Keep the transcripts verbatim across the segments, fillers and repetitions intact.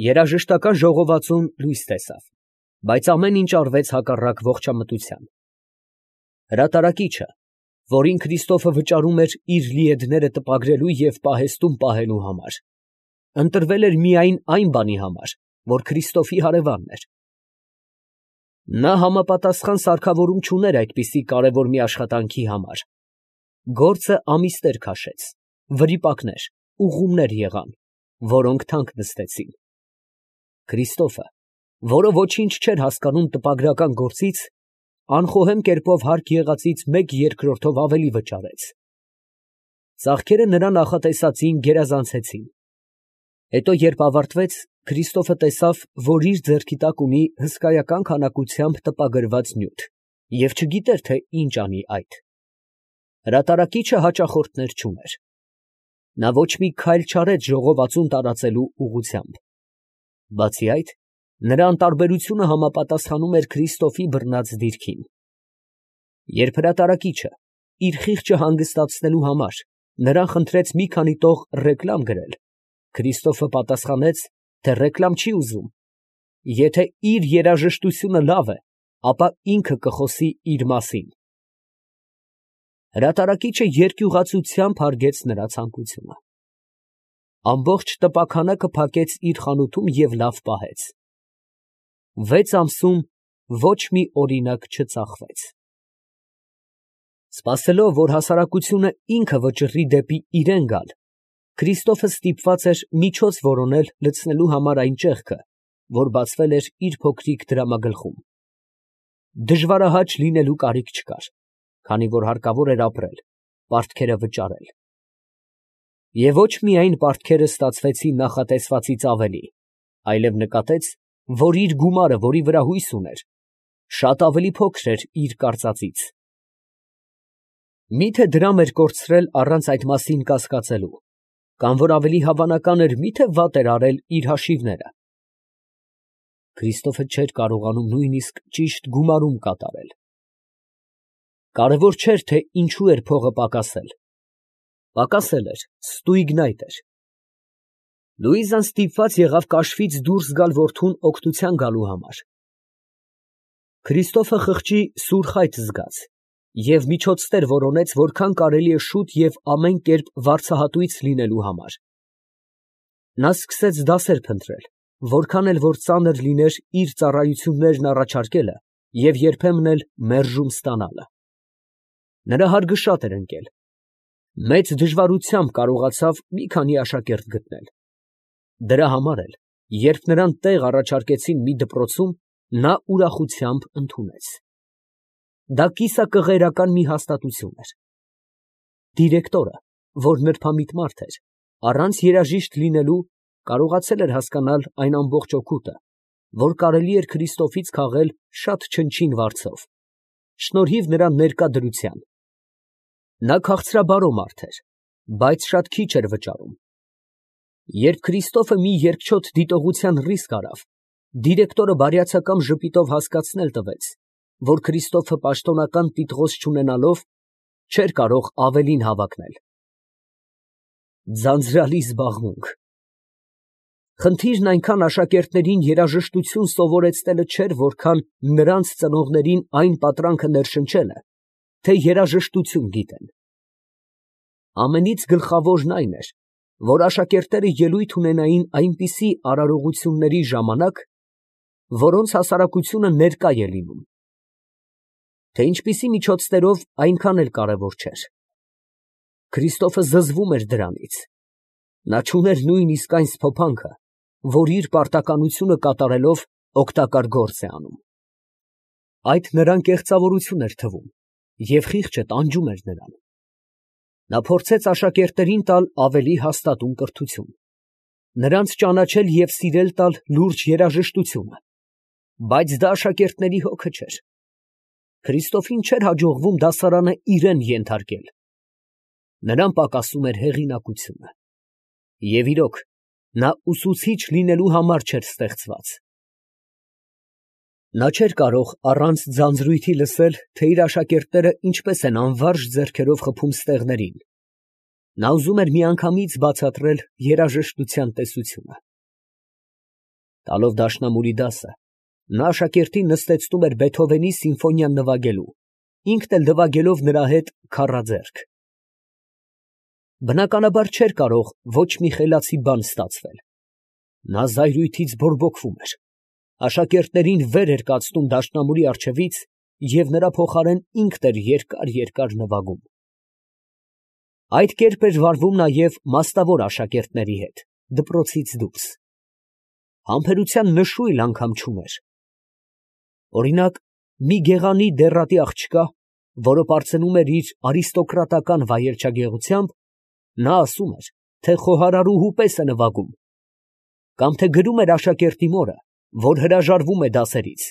Երաժշտական ժողովածուն լույս տեսավ, բայց ամեն ինչ արվեց հակառակ ողջամտության. հրատարակիչը, որին Քրիստոֆը վճարում էր իր լիեդները տպագրելու և պահեստում պահելու համար, ընտրվել էր միայն այն բանի համար, որ Քրիստոֆի հարևանն էր. նա համապատասխան սարքավորում չուներ այդպիսի կարևոր մի աշխատանքի համար. գործը ամիսներ քաշեց, վրիպակներ, ուղղումներ եղան, որոնք թանկ նստեցին. Քրիստոֆը, որը ոչինչ չէր հասկանում տպագրական գործից, անխոհեմ կերպով հարկ եղածից մեկ երկրորդով ավելի վճարեց. ծախքերը նրա նախատեսածին գերազանցեցին. հետո երբ ավարտվեց, Քրիստոֆը տեսավ, որ իր ձեռքի տակ ունի հսկայական քանակությամբ տպագրված նյութ և չգիտեր, թե ինչ անի այդ. հրատարակիչը հաճախորդներ չուներ. նա ոչ մի քայլ չարեց ժողովածուն տարածելու ուղղությամբ. բացի այդ, նրա անտարբերությունը համապատասխանում էր Քրիստոֆի բռնած դիրքին. երբ հրատարակիչը, իր խիղճը հանգստացնելու համար, նրան խնդրեց մի քանի տող ռեկլամ գրել, Քրիստոֆը պատասխանեց, թե ռեկլամ չի ուզում. եթե իր երաժշտությունը լավ է, ապա ինքը կխոսի իր մասին. հրատարակիչը երկյուղացությամբ հարգեց նրա ցանկությունը. ամբողջ տպաքանակը փակեց իր խանութում և լավ պահեց. վեց ամսում ոչ մի օրինակ չծախվեց. Սպասելով, որ հասարակությունը ինքը վճռի դեպի իրան գալ, Քրիստոֆը ստիպված էր միջոց որոնել լցնելու համար այն ճեղքը, որ բացվել էր իր փոքրիկ դրամագլխում. դժվարահաճ լինելու կարիք չկար, քանի որ հարկավոր էր ապրել, պարտքերը վճարել. և ոչ միայն պարտքերը ստացվեցին նախատեսվածից ավելի, այլև նկատեց, որ իր գումարը, որի վրա հույս ուներ, շատ ավելի փոքր էր իր կարծածից. մի՞թե դրամ էր կորցրել առանց այդ մասին կասկածելու, կամ որ ավելի հավանական էր, մի՞թե վատ էր արել իր հաշիվները. Քրիստոֆը չէր կարողանում նույնիսկ ճիշտ գումարում կատարել. կարևոր չէր, թե ինչու էր փողը պակասել. պակասել էր, ստույգն այդ էր. Լուիզան ստիպված եղավ կաշվից դուրս գալ որդուն օգնության գալու համար. Քրիստոֆը խղճի սուր խայտ զգաց և միջոցներ որոնեց, որքան կարելի է շուտ և ամեն կերպ վարձահատույց լինելու համար. նա սկսեց դասեր փնտրել, որքան էլ որ ծանր լիներ իր ծառայություններն առաջարկելը և երբեմն էլ մերժում ստանալը. նրա հարգը շատ էր ընկել. մեծ դժվարությամբ կարողացավ մի քանի աշակերտ գտնել. դրա համար էլ, երբ նրան տեղ առաջարկեցին մի դպրոցում, նա ուրախությամբ ընդունեց. դա կիսակղերական մի հաստատություն էր. դիրեկտորը, որ նրբամիտ մարդ էր, առանց երաժիշտ լինելու, կարողացել էր հասկանալ այն ամբողջ օգուտը, որ կարելի էր Քրիստոֆից քաղել շատ չնչին վարձով, շնորհիվ նրա ներկա դրության. նա քաղցրաբարո մարդ էր, բայց շատ քիչ էր վճարում. երբ Քրիստոֆը մի երկչոտ դիտողության ռիսկ արավ, դիրեկտորը բարյացակամ ժպիտով հասկացնել տվեց, որ Քրիստոֆը պաշտոնական տիտղոս չունենալով, չէր կարող ավելին հավակնել. ձանձրալի զբաղմունք. խնդիրն այնքան աշակերտներին երաժշտություն սովորեցնելը չէր, որքան նրանց ծնողներին այն պատրանքը ներշնչելը, թե երաժշտություն գիտեն. ամենից գլխավորն այն էր, որ աշակերտները ելույթ ունենային այնպիսի արարողությունների ժամանակ, որոնց հասարակությունը ներկա է լինում. թե ինչպիսի միջոցներով, այնքան էլ կարևոր չէր. Քրիստոֆը զզվում էր դրանից. նա չուներ նույնիսկ այն սփոփանքը, որ իր պարտականությունը կատարելով օգտակար գործ է անում. այդ նրան կեղծավորություն էր թվում, և խիղճը տանջում էր նրան. նա փորձեց աշակերտներին տալ ավելի հաստատուն կրթություն, նրանց ճանաչել և սիրել տալ լուրջ երաժշտությունը, բայց դա աշակերտների հոգը չէր. Քրիստոֆին չէր հաջողվում դասարանը իրան ենթարկել. նրան պակասում էր հեղինակությունը. և իրոք, նա ուսուցիչ լինելու համար չէր ստեղծված. նա չէր կարող առանց ձանձրույթի լսել, թե իր աշակերտները ինչպես են անվարժ ձեռքերով խփում ստեղներին. նա ուզում էր միանգամից բացատրել երաժշտության տեսությունը. Տալով դաշնամուրի դասը, նա աշակերտին նստեցնում էր Բեթհովենի սիմֆոնիան նվագելու, ինքն էլ նվագելով նրա հետ քառաձեռք։ Բնականաբար չէր կարող ոչ մի խելացի բան ստացվել. նա զայրույթից բորբոքվում էր, աշակերտներին վեր էր կացնում դաշնամուրի առջևից և նրա փոխարեն ինքն էր երկար֊երկար նվագում։ Այդ կերպ էր վարվում նաև մասնավոր աշակերտների հետ, դպրոցից դուրս։ Համբերության նշույլ անգամ չուներ։ Օրինակ, մի գեղանի դեռատի աղջկա, որը պարծենում էր իր արիստոկրատական վայելչագեղությամբ, նա ասում էր, թե խոհարարուհու պես է նվագում, կամ թե գրում էր աշակերտի մորը, որ հրաժարվում է դասերից,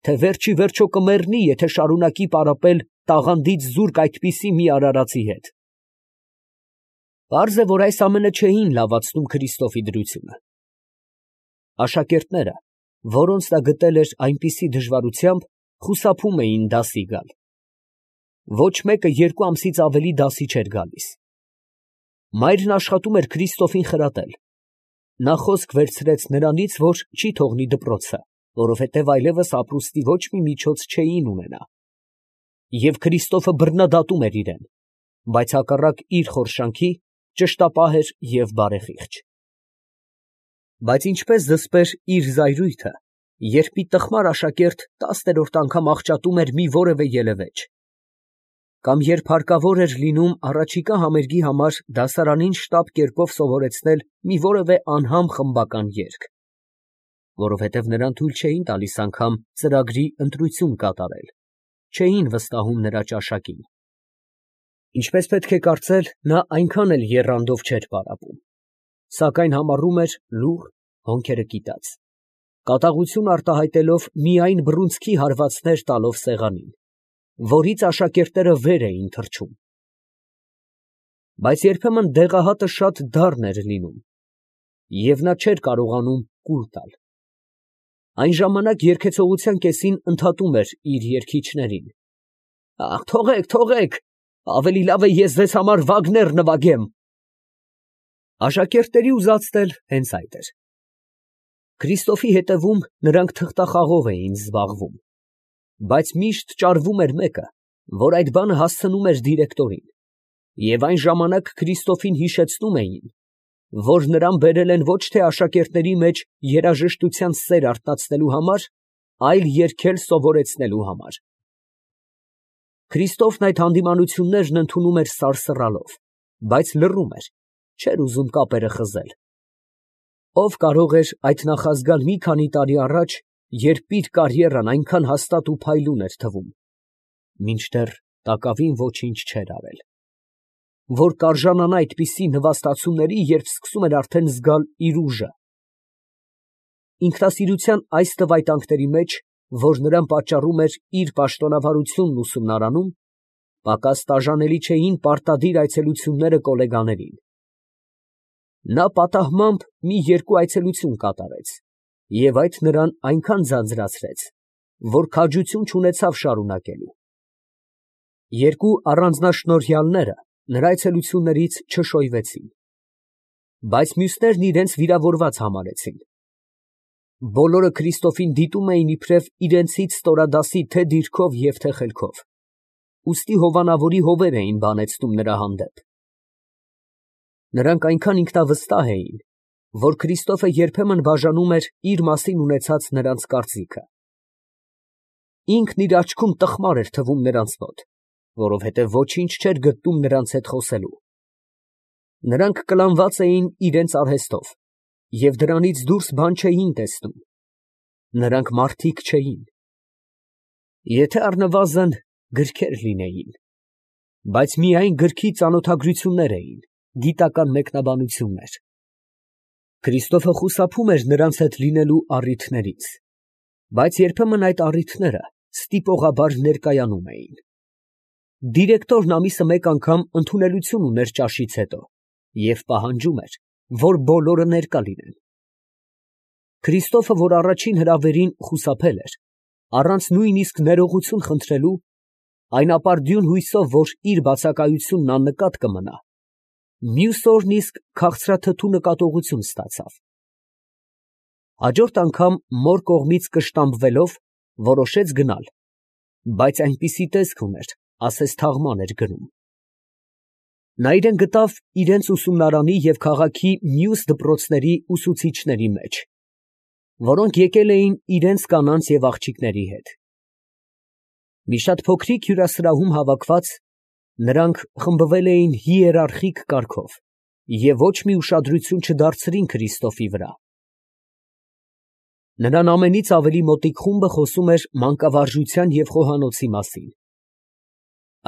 թե վերջ ի վերջո կմեռնի, եթե շարունակի պարապել տաղանդից զուրկ այդպիսի մի արարածի հետ։ Պարզ է, որ այս ամենը չէին լավացնում Քրիստոֆի դրությունը։ Աշակերտները, որոնց նա գտել էր այնպիսի դժվարությամբ, խուսափում էին դասի գալ։ Ոչ մեկը երկու ամսից ավելի դասի չէր գալիս։ Մայրն աշխատում էր Քրիստոֆին խրատել։ Նա խոսք վերցրեց նրանից, որ չի թողնի դպրոցը, որովհետև այլևս ապրուստի ոչ մի միջոց չէին ունենա։ Եվ Քրիստոֆը բռնադատում էր իրեն, բայց հակառակ իր խորշանքի ճշտապահ էր և բարեխիղճ։ Բայց ինչպես զսպեր իր զայրույթը, երբ մի տխմար աշակերտ տասներորդ անգամ աղճատում էր մի որևէ ելևէջ, կամ երբ հարկավոր էր լինում առաջիկա համերգի համար դասարանին շտապ կերպով սովորեցնել մի որևէ անհամ խմբական երգ, որովհետև նրան թույլ չէին տալիս անգամ ծրագրի ընտրություն կատարել, չէին վստահում նրա ճաշակին։ Ինչպես պետք է կարծել, նա այնքան էլ եռանդով չէր պարապում, սակայն համառում էր լուռ, հոնքերը կիտած, կատաղություն արտահայտելով միայն բռունցքի հարվածներ տալով սեղանին, որից աշակերտները վեր էին թռչում։ Բայց երբեմն դեղահատը շատ դառն էր լինում, և նա չէր կարողանում կուլ տալ։ Այն ժամանակ երգեցողության կեսին ընդհատում էր իր երգիչներին. «Ախ, թողեք, թողեք, ավելի լավ է ես ձեզ համար Վագներ նվագեմ»։ Աշակերտների ուզածն էլ հենց այդ էր։ Քրիստոֆի հետևում նրանք թղթախաղով էին զբաղվում, բայց միշտ ճարվում էր մեկը, որ այդ բանը հասցնում էր դիրեկտորին, և այն ժամանակ Քրիստոֆին հիշեցնում էին, որ նրան բերել են ոչ թե աշակերտների մեջ երաժշտության սեր արթնացնելու համար, այլ երգել սովորեցնելու համար։ Քրիստոֆն այդ հանդիմանություններն ընդունում էր սարսռալով, բայց լռում էր, չէր ուզում կապերը խզել։ Ո՞վ կարող էր այդ նախազգալ մի քանի տարի առաջ, երբ իր կարիերան այնքան հաստատ ու փայլուն էր թվում, մինչդեռ տակավին ոչինչ չէր արել, որ կարժանանա այդպիսի նվաստացումների, երբ սկսում էր արդեն զգալ իր ուժը։ Ինքնասիրության այս տվայտանքների մեջ, որ նրան պատճառում էր իր պաշտոնավարությունն ուսումնարանում, պակաս տաժանելի չէին պարտադիր այցելությունները կոլեգաներին։ Նա պատահմամբ մի երկու այցելություն կատարեց, և այդ նրան այնքան ձանձրացրեց, որ քաջություն չունեցավ շարունակելու։ Երկու առանձնաշնորհյալները նրա այցելություններից չշոյվեցին, բայց մյուսներն իրենց վիրավորված համարեցին։ Բոլորը Քրիստոֆին դիտում էին իբրև իրենցից ստորադասի թե դիրքով և թե խելքով, ուստի հովանավորի հովեր էին բանեցնում նրա հանդեպ։ Նրանք այնքան ինքնավստահ էին, որ Քրիստոֆը երբեմն բաժանում էր իր մասին ունեցած նրանց կարծիքը։ Ինքն իր աչքում տխմար էր թվում նրանց մոտ, որովհետև ոչինչ չէր գտնում նրանց հետ խոսելու։ Նրանք կլանված էին իրենց արհեստով և դրանից դուրս բան չէին տեսնում։ Նրանք մարդիկ չէին։ Եթե առնվազն գրքեր լինեին, բայց միայն գրքի ծանոթագրություններ էին, գիտական մեկնաբանություններ։ Քրիստոֆը խուսափում էր նրանց հետ լինելու առիթներից, բայց երբեմն այդ առիթները ստիպողաբար ներկայանում էին։ Դիրեկտորն ամիսը մեկ անգամ ընդունելություն ուներ ճաշից հետո և պահանջում էր, որ բոլորը ներկա լինեն։ Քրիստոֆը, որ առաջին հրավերին խուսափել էր, առանց նույնիսկ ներողություն խնդրելու, այն ապարդյուն հույսով, որ իր բացակայությունն աննկատ կմնա, մյուս օրն իսկ քաղցրաթթու նկատողություն ստացավ։ Հաջորդ անգամ մոր կողմից կշտամբվելով որոշեց գնալ, բայց այնպիսի տեսք ուներ, ասես թաղման էր գնում։ Նա իրան գտավ իրենց ուսումնարանի և քաղաքի մյուս դպրոցների ուսուցիչների մեջ, որոնք եկել էին իրենց կանանց և աղջիկների հետ։ Մի շատ փոքրիկ հյուրասրահում հավաքված, նրանք խմբվել էին հիերարխիկ կարգով և ոչ մի ուշադրություն չդարձրին Քրիստոսի վրա։ Նրան ամենից ավելի մոտիկ խումբը խոսում էր մանկավարժության և խոհանոցի մասին։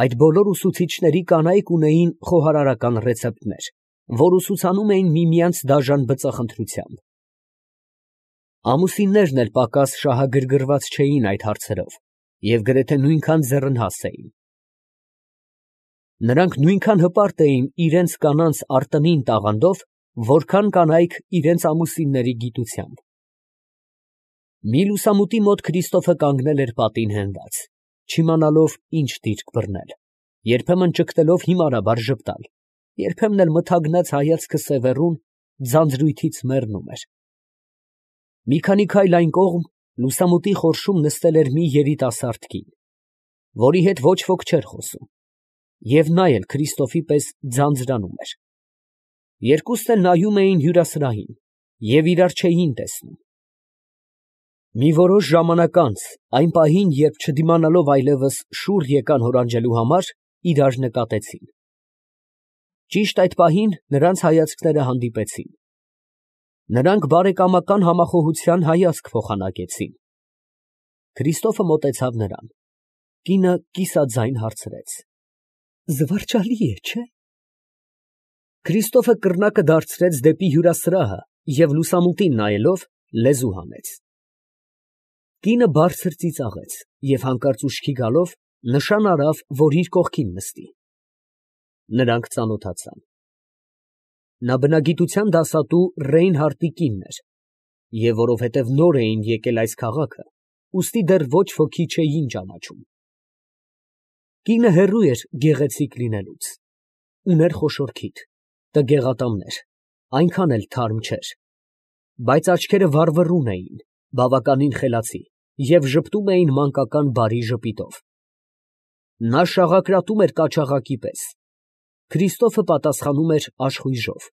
Այդ բոլոր ուսուցիչների կանայք ունեին խոհարարական ռեցեպտներ, որ ուսուցանում էին միմյանց դաժան բծախնդրությամբ։ Ամուսիններն էլ պակաս շահագրգռված չէին այդ հարցերով և գրեթե նույնքան ձեռնհաս էին։ Նրանք նույնքան հպարտ էին իրենց կանանց արտընին տաղանդով, որքան կանայք իրենց ամուսինների գիտությամբ։ Մի լուսամուտի մոտ Քրիստոֆը կանգնել էր պատին հենված, չիմանալով ինչ դիրք բռնել, երբեմն ճգտելով հիմարաբար ժպտալ, երբեմն էլ մթագնած հայացքը սևեռուն, ձանձրույթից մեռնում էր։ Մի քանի քայլ այն կողմ լուսամուտի խորշում նստել էր մի երիտասարդ կին, որի հետ ոչ ոք չէր խոսում, և նա էլ Քրիստոֆի պես ձանձրանում էր։ Երկուսն էլ նայում էին հյուրասրահին և իրար չէին տեսնում։ Մի որոշ ժամանակ անց, այն պահին, երբ չդիմանալով այլևս շուռ եկան հորանջելու համար, իրար նկատեցին։ Ճիշտ այդ պահին նրանց հայացքները հանդիպեցին։ Նրանք բարեկամական համախոհության հայացք փոխանակեցին։ Քրիստոֆը մոտեցավ նրան։ Կինը կիսաձայն հարցրեց. «Զվարճալի է, չէ՞»։ Քրիստոֆը կռնակը դարձրեց դեպի հյուրասրահը և լուսամուտին նայելով, լեզու հանեց։ Կինը բարձր ծիծաղեց և հանկարծ ուշքի գալով, նշան արավ, որ իր կողքին նստի։ Նրանք ծանոթացան։ Նա բնագիտության դասատու Ռեյնհարդի կինն էր, և որովհետև նոր էին եկել այս քաղաքը, ուստի դեռ ոչ ոքի չէին ճանաչում։ Կինը հեռու էր գեղեցիկ լինելուց, ուներ խոշոր քիթ, տգեղատամներ, այնքան էլ թարմ չէր, բայց աչքերը վառվռուն էին, բավականին խելացի և ժպտում էին մանկական բարի ժպիտով։ Նա շաղակրատում էր կաչաղակի պես, Քրիստոֆը պատասխանում էր աշխույժով։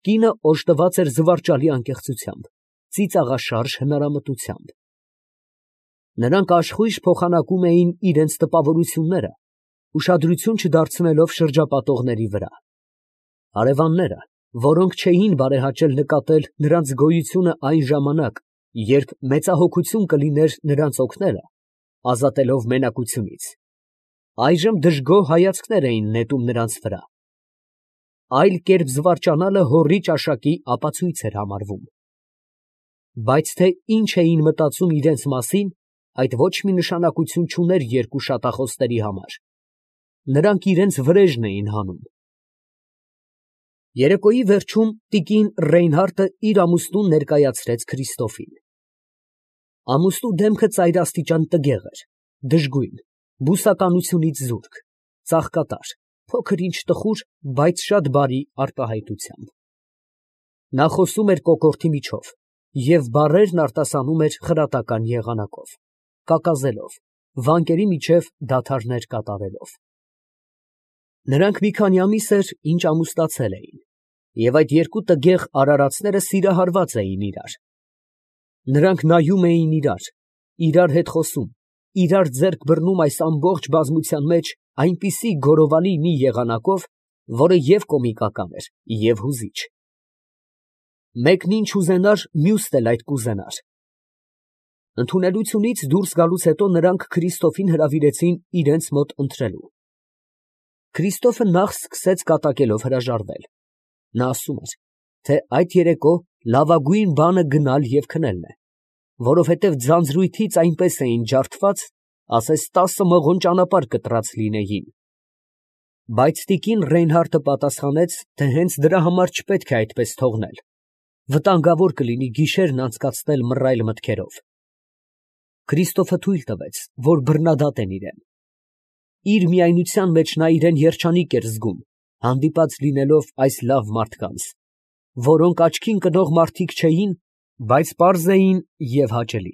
Կինը օժտված էր զվարճալի անկեղծությամբ, ծիծաղաշարժ հնարամտությամբ։ Նրանք աշխույժ փոխանակում էին իրենց տպավորությունները, ուշադրություն չդարձնելով շրջապատողների վրա։ Հարևանները, որոնք չէին բարեհաճել նկատել նրանց գոյությունը այն ժամանակ, երբ մեծահոգություն կլիներ նրանց օգնելը, ազատելով մենակությունից, այժմ դժգոհ հայացքներ էին նետում նրանց վրա։ Այլ կերպ զվարճանալը հոռի ճաշակի ապացույց էր համարվում։ Բայց թե ինչ էին մտածում իրենց մասին, այդ ոչ մի նշանակություն չուներ երկու շատախոսների համար։ Նրանք իրենց վրեժն էին հանում։ Երեկոյի վերջում տիկին Ռեյնհարդը իր ամուսնուն ներկայացրեց Քրիստոֆին։ Ամուսնու դեմքը ծայրաստիճան տգեղ էր, դժգույն, բուսականությունից զուրկ, ծաղկատար, փոքր ինչ տխուր, բայց շատ բարի արտահայտությամբ։ Նա խոսում էր կոկորդի միջով և բառերն արտասանում էր խրատական եղանակով, կակազելով, վանկերի միջև դադարներ կատարելով։ Նրանք մի քանի ամիս էր, ինչ ամուսնացել էին, և այդ երկու տգեղ արարածները սիրահարված էին իրար։ Նրանք նայում էին իրար, իրար հետ խոսում, իրար ձեռք բռնում այս ամբողջ բազմության մեջ այնպիսի գոռովանի մի եղանակով, որը և կոմիկական էր, և հուզիչ։ Մեկն ինչ ուզենար, մյուսն էլ այդ կուզենար։ Ընդունելությունից դուրս գալուց հետո նրանք Քրիստոֆին հրավիրեցին իրենց մոտ ընթրելու։ Քրիստոֆը նախ սկսեց կատակելով հրաժարվել։ Նա ասում էր, թե այդ երեկո լավագույն բանը գնալ և քնելն է, որովհետև ձանձրույթից այնպես էին ջարդված, ասես տասը մղոն ճանապարհ կտրած լինեին։ Բայց տիկին Ռեյնհարդը պատասխանեց, թե հենց դրա համար չպետք է այդպես թողնել, վտանգավոր կլինի գիշերն անցկացնել մռայլ մտքերով։ Քրիստոֆը թույլ տվեց, որ բռնադատեն իրան։ Իր միայնության մեջ նա իրան երջանիկ էր զգում, հանդիպած լինելով այս լավ մարդկանց, որոնք աչքին կնող մարդիկ չէին, Բայց պարզ էին և հաճելի։